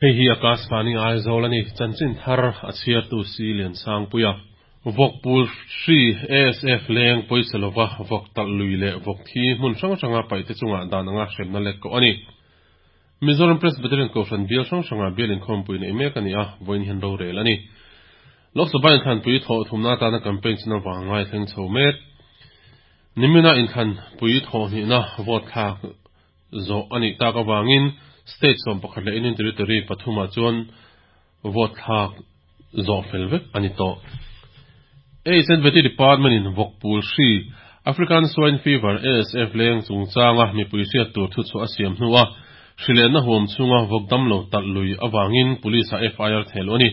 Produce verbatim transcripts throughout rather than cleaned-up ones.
Hei hi Akashvani Aizawl a ni. Chanchin thar a chhiartu si Liansangpuia. Vawk pul hri A S F leng pawisa lova vawk talh lui leh vawk thi hmun hrang hranga paih te chungah dan anga hremna lek koh a ni. Mizoram Presbyterian Kohhran bial hrang hranga bial inkhawmpui neih mek a ni a, vawiin hian rorel a ni. Lok Sabha inthlanpui thawh thumna atana campaign chuna vangai thleng chho mek. Nimina inthlanpui thawh hnihna vote thlak zawh a nih tak avangin state sawm pakhat leh Union Territory pathumah chuan vote thlak zawh fel vek a ni tawh. H and V T Department in vawk pul hri African Swine Fever A S F leng chungchanga mipui hriat tur thu chu a siam hnu a hrilenna huam chunga vawk damlo talh lui awangin police a F I R thehluh a ni.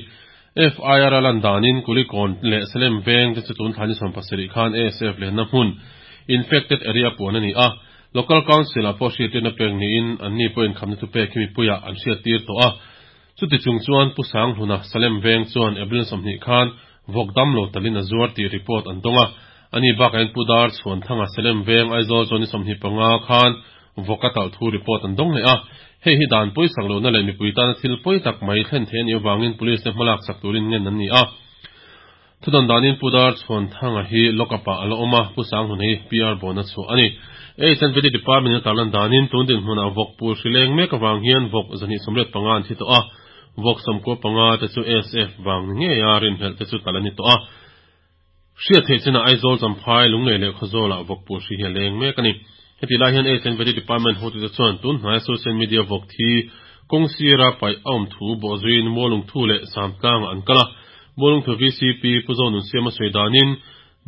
F I R a lan danin Kulikawn leh Salem veng te chu tun thlani sawm pasarih khan A S F lenna hmun infected area puan a ni a. Local Council a pawh hriattirna pek niin an ni pawhin khamna thu pek hi mipuia an hriattir tawh a. Chuti chung chuan Pu Sanghluna Salem veng chuan April sawmhnih khan vawk damlo talin a zuar tih report an dawng a. Ani bakah in Pu Dar chhuan thanga Salem veng Aizawl chuan ni sawmhnih panga khan vawk a talh thu report an dawng leh a. Hei hi dan pawisak lohna leh mipui tana thil pawi tak mai thlen thei ani awangin police te hmalak sak turin ngen an ni a. Thudan danin Pu Dar chhuan thanga hi lockup ah ala awm a, Pu Sanghlun hi P R bond a chhuah a ni. H and V T Department a tarlan danin tun din hmunah vawk pul hri leng mek awang hian vawk zahnih sawmriat panga an thi tawh a, vawk sawmkua panga te chu A S F wang ni ngei a rinhlelh te chu talh ani tawh a. Hriat theih chinah Aizawl, Champhai, Lunglei leh Khawzawlah vawk pul hri hi a leng mek a ni. Heti lai hian H and V T Department hotu te chuan tun hnai social media vawk thi kawng sira paih a awm thu bawhzuiin Mualungthu leh Samtlangah an kal a. Mualungthu V C P Pu Zonun Siam a sawi danin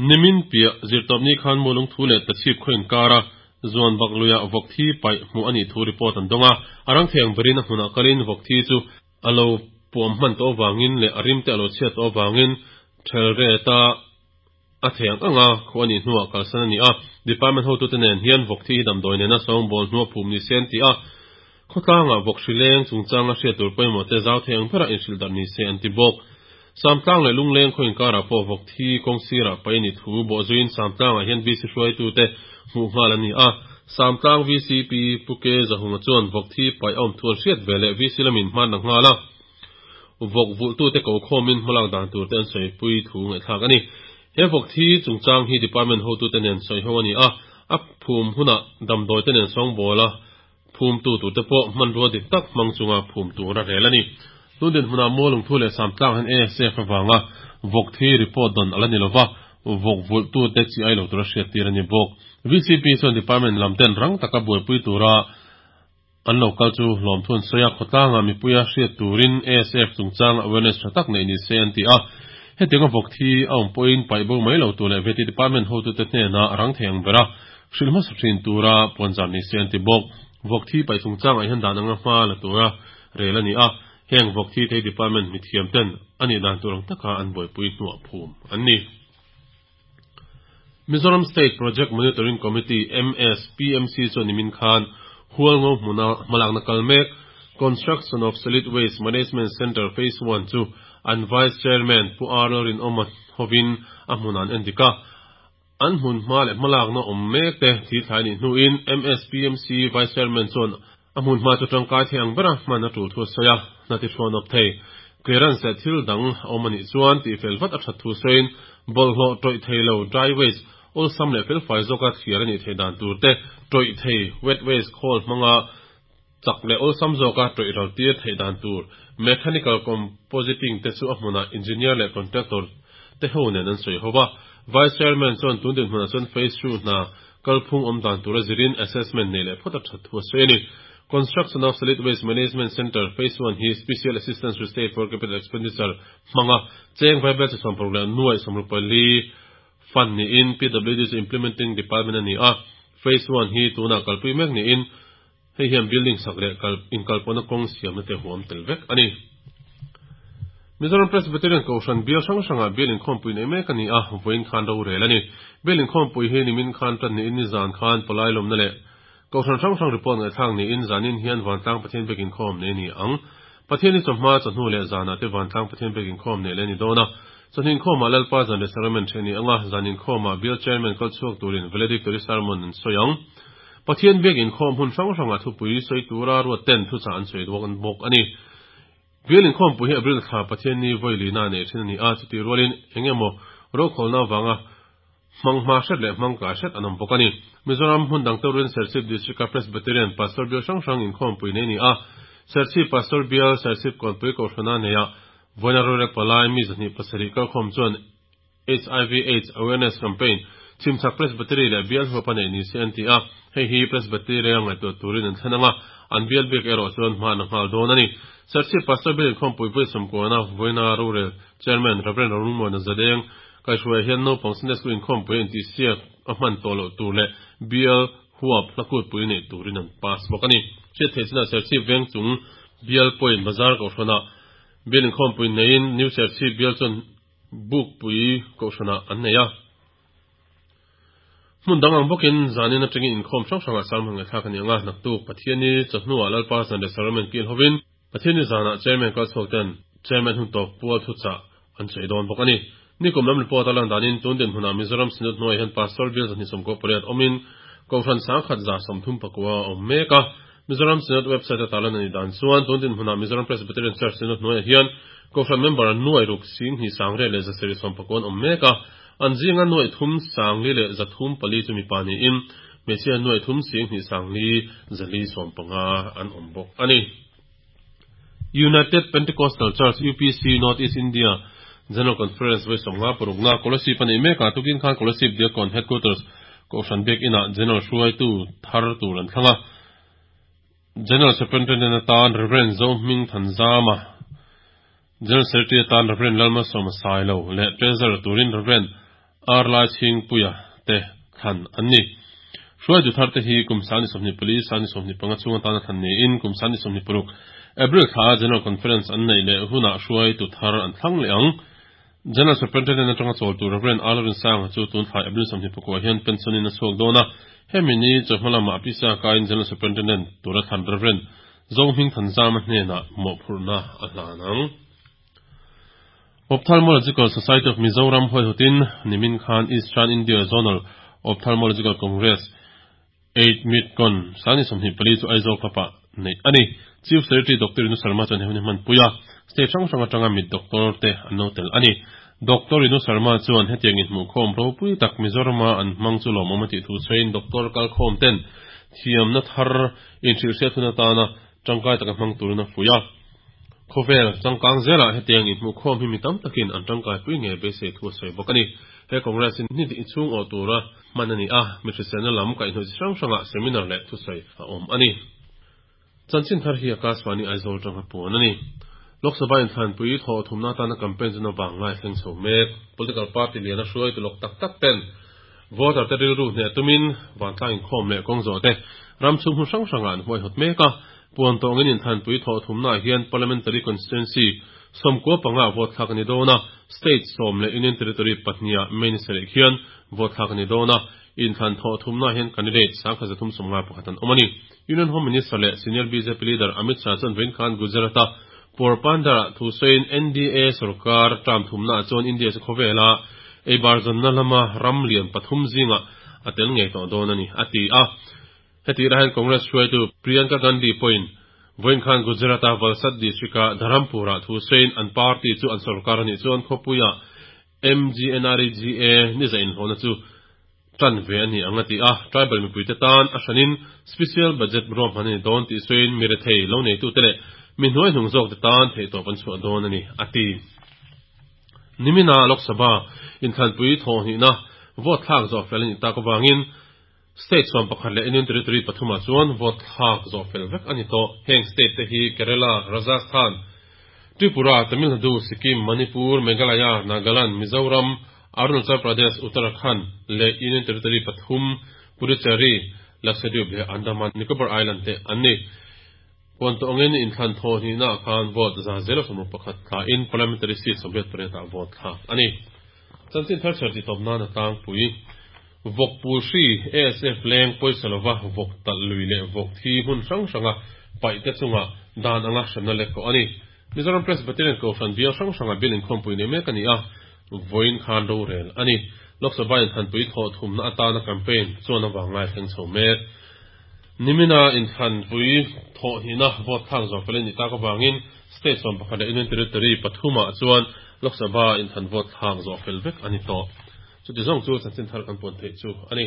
nimin piah zirtawpni khan Mualungthu leh Tachhip khaw inkara zuan bak luiah vawk thi paih hmuh ani thu report an dawng a. Arang theng berin a hmunah kalin vawk thi chu alo puam hman tawh awangin leh a rim te alo chhiat tawh awangin thel re ta a theng anga khu ani hnuah kalsan ani a. Department hotu te nen hian vawk thi hi damdawi nena sawngbawl hnua phum ni sen ti a. Khawtlanga vawk hri leng chungchanga hriat tur pawimawh te zau theng berah inhrilh darh ni se an ti bawk. Samtlang leh Lungleng khaw inkara pawh vawk thi kawng sirah paih ani thu bawhzuiin Samtlangah hian V C hruaitu te hmuh nghal ani a. Samtlang V C P Pu Ke Zahunga chuan vawk thi paih a awm thu an hriat ve leh V C lamin hman na nghal a. Vawk vulh tu te ko khawmin hmalak dan tur te an sawi pui thu ngaihthlak ani. He vawk thi chungchang hi department hotu te nen sawi ho ani a. A phum hunah damdawi te nen sawngbawl a phum tu tur te pawh hmanrua dik tak hmang chunga phum tur a rel ani. Tundin hmunah Mualungthu leh Samtlang han A S F awanga vawk thi report don ala ni lova, vawk vulh tu te chi ai lo tur a hriat tir ani bawk. V C P chuan department lam ten rang taka buaipui tura an lo kal chu hlawm thun sawi a. Khawtlanga mipuia hriat turin A S F chungchang awareness tha tak nei ni se an ti a. Hetianga vawk thi a awm pawhin paih bo mai lo tur leh V T department hotu te hnena rang thei ang bera hrilh hmasa thin tura puanzar ni se an ti bawk. Vawk thi paih chungchang ah hian dan anga hma la tura rel ani a. Heng vawk thi thei department mi thiam ten ani dan tur ang taka an buaipui hnuah phum an ni. Mizoram State Project Monitoring Committee M S P M C chuan nimin khan Hualngo hmuna hmalakna kal mek Construction of Solid Waste Management Center Phase one chu an Vice Chairman Pu R Rinawma hovin a hmun an endika. An hmun hma leh hmalakna awm mek te thi thlai ni hnuin M S P M C Vice Chairman chuan a hmun hma chu tangkai thei ang bera hman a tul thu sawi a. Na ti hrawn awp thei clearance leh thil dang awm ani chuan ti fel vat a that thu sawiin bawlhhlawh tawih thei lo dry waste awlsam leh felfai zawka thliar ani thei dan tur te, tawih thei wet waste khawl hmanga chak leh awlsam zawka tawih ral tir thei dan tur mechanical compositing te chu a hmunah engineer leh contractor te ho nen an sawi howa. Vice Chairman chuan tundin hmunah chuan phase two hna kalphung awm dan tura zirin assessment nei leh phawt a that thu a sawi ani. Construction of Solid Waste Management Center Phase one hi Special Assistance to State for Capital Expenditure hmanga cheng vaibel chi sawm paruk leh nuai sawmruk pali fund ni in P W D chu implementing department ani a. Phase one hi tuna kalpui mek ni in hei hian building sak leh kal in kalpawna kawng siamna te huam tel vek ani. Mizoram Presbyterian Kohhran bial hrang hranga bial inkhawmpui nei mek ani a, vawiin khan rorel ani. Bial inkhawmpui hi nimin khan tan ni in ni zan khan palai lawmna leh Kohhran hrang hrang report ngaihthlak ni in zanin hian Vantlang Pathian biak inkhawm nei ni ang. Pathian ni chawhma chawhnu leh zanah te Vantlang Pathian biak inkhawm nei le ni dawn a. Chawhnu inkhawmah Lalpa zan leh sacrament the ni anga, zan inkhawmah bial chairman kal chhuak turin valedictory sermon an sawi ang. Pathian biak inkhawm hun hrang hranga thupui sawi tura ruat ten thuchah an sawi bawk bawk ani. Bial inkhawmpui hi April thla Pathianni vawi lina nei thin a ni a, chuti rualin eng emaw rokhawlna avanga hmang hma hret leh hmang tlai hret an awm bawk a ni. Mizoram hmun dang teurin Serchhip District-a Presbyterian Pastor Bial hrang hrang inkhawmpui nei a ni a, Serchhip Pastor Bial Serchhip Kawnpui Kohhrana neia vawiina rorek palai mi zahnih pasarih kalkhawm chuan H I V AIDS Awareness Campaign Chhimchhak Presbytery leh Bial huap a neih ni se an ti a, hei hi Presbytery-a ngaihtuah turin an thlen ang a, an bial bik erawh chuan hma an nghal dawn a ni. Serchhip Pastor Bial Inkhawmpui Vawi Sawmkuana vawiina rorel Chairman Rev Rorungmuana Zadeng kaihhruaiah hian naupang Sunday School inkhawmpui a intihsiak a hman tawh loh tur leh bial huap hlakutpui neih turin an pass bawk a ni. Hriat theih chinah Serchhip veng chung bial pawhin bazar kohhranah bial inkhawmpui neiin New Serchhip bial chuan Bukpui kohhranah an nei a. Hmun dang ang bawkin zanin atangin inkhawm hrang hrangah sermon ngaihthlak a ni ang a, naktuk Pathianni chawhnuah Lalpa zan leh Sacrament kil hovin Pathianni zanah Chairman kalchhuak ten Chairman hun tawp pual thuchah an sawi dawn bawk a ni. Nikum lam report a lan danin tun dinhmunah Mizoram Synod hnuaiah hian Pastor Bial zahnih sawmkaw pariat awmin Kohhran sangkhat za sawmthum pakua a awm mek a. Mizoram Synod website a tarlan a nih dan chuan tun dinhmunah Mizoram Presbyterian Church Synod hnuaiah hian Kohhran member nuai ruk sing hnih sangriat leh zasarih sawm pakua an awm mek a. An zinga nuai thum sangli leh zathum pali chu mipa niin hmeichhia nuai thum sing hnih sangli zali sawm panga an awm bawk a ni. United Pentecostal Church, U P C, North East India General Conference vawi sawmnga parukna Kolasib a neih mek a, tukin khan Kolasib Diakkawn Headquarters Kohhran Biak Inah General hruaitu thar tur an thlang a. General Superintendent atan Rev Zohming Thanzama, General Secretary atan Rev Lalmalsawma Sailo leh Treasurer turin Rev R Laichhingpuia te thlan an ni. Hruaitu thar te hi kum sani sawmhnih pali, sani sawmhnih panga chhung atana thlan niin kum sani sawmhnih paruk April thla General Conference an neih leh hunah hruaitu thar an thlang leh ang. General Superintendent atanga chawl tur Rev R Rinsanga chu tun thlai April sawmhnih pakua hian pension in a chhuak dawn a, hemi ni chawhma lamah pisa kaiin General Superintendent tura thlan Rev Zohming Thanzama hnenah mawhphurhna a hlan ang. Ophthalmological Society of Mizoram huaihutin nimin khan Eastern India Zonal Ophthalmological Congress eight Midcon sani sawmhnih pali chu Aizawl Club-ah neih a ni. Chief Secretary Doctor Rinu Sharma chuan he hun hi hmanpui a, state hrang hrang atanga mit doctor te an lo tel a ni. Doctor Rinu Sharma chuan hetiang inhmuhkhawm ropui tak Mizorama an hmang chu lawmawm a tih thu sawiin doctor kalkhawm ten thiamna thar inhrilhhriat hun atana tangkai taka hmang turin a fuih a. Khawvel changkang zelah hetiang inhmuhkhawm hi mi tam takin an tangkaipui nge beisei thu a sawi bawk a ni. He Congress hi ni tih chhung awh tura hman a ni a, mi hriselna lam kaihhnawih chi hrang hrangah seminar leh thusawi a awm a ni. Chanchin thar hi Akashvani Aizawl tanga puan a ni. Lok Sabha inthlanpui thawh thumna atana campaign chu navang ngai thleng chho mek. Political party liana hruaitu lawk tak tak ten voter te rilru hneh tumin vantlang inkhawm leh kawng zawh te ram chhung hmun hrang hrangah an huaihawt mek a. Puan tawngin inthlanpui thawh thumnaah hian Parliamentary Constituency sawmkua panga vote thlak a ni dawn a, State sawm leh Union Territory pahniha May ni sarih khian vote thlak a ni dawn a, inthlan thawh thumnaah hian candidate sangkhat zathum sawmnga pakhat an awm a ni. Union Home Minister leh Senior B J P Leader Amit Shah chuan vawiin khan Gujarat-a Porbandar-ah thu sawiin N D A sorkar term thumnaah chuan India chu khawvela eibar zawnna lama ram lian pathum zingah a tel ngei tawh dawn a ni, a ti a. Hetih hian Congress hruaitu Priyanka Gandhi pawhin vawiin khan Gujarat-a Valsad district-a Dharampur-ah thu sawiin an party chu an sorkar a nih chuan khawpuia M G N R E G A ni za inhlawhna chu tan ve a ni ang a ti a. Tribal mipuite tan a hranin special budget ruahman a ni dawn tih sawiin mi rethei lo neitute leh mi hnuai hnung zawkte tan theihtawp an chhuah dawn a ni, a ti. Nimina Lok Sabha inthlanpui thawhhnihna vote thlak zawh fel a nih tak avangin State sawm pakhat leh Union Territory pathumah chuan vote thlak zawh fel vek a ni tawh. Heng state te hi Kerala, Rajasthan, Tripura, Tamil Nadu, Sikkim, Manipur, Meghalaya, Nagaland, Mizoram, Arunachal Pradesh, Uttarakhand leh Union Territory pathum, Puducherry, Lakshadweep leh Andaman Nicobar Island te an ni. Puan tawngin inthlan thaw hnihnaah khan vote za zero sawmruk pakhat thlain parliamentary seat sawmriat pariatah vote thlak a ni. Chanchin thar chher tih tawp nan a tlangpui. Vawk pul hri, A S F leng pawisa lova vawk talh lui leh vawk thi hmun hrang hranga paih te chungah dan anga hremna lek kawh a ni. Mizoram Presbyterian Kohhran bial hrang hranga bial inkhawmpui nei mek a ni a, vawiin khan rorel a ni. Lok Sabha inthlanpui thawh thumna atana campaign chuan avang ngai thleng chho mek. Nimina inthlanpui thawh hnihna vote thlak zawh fel a nih tak avangin State sawm pakhat leh Union Territory pathumah chuan Lok Sabha inthlan vote thlak zawh fel vek a ni tawh. Chuti zawng chu chanchin thar kan puan theih chu a ni.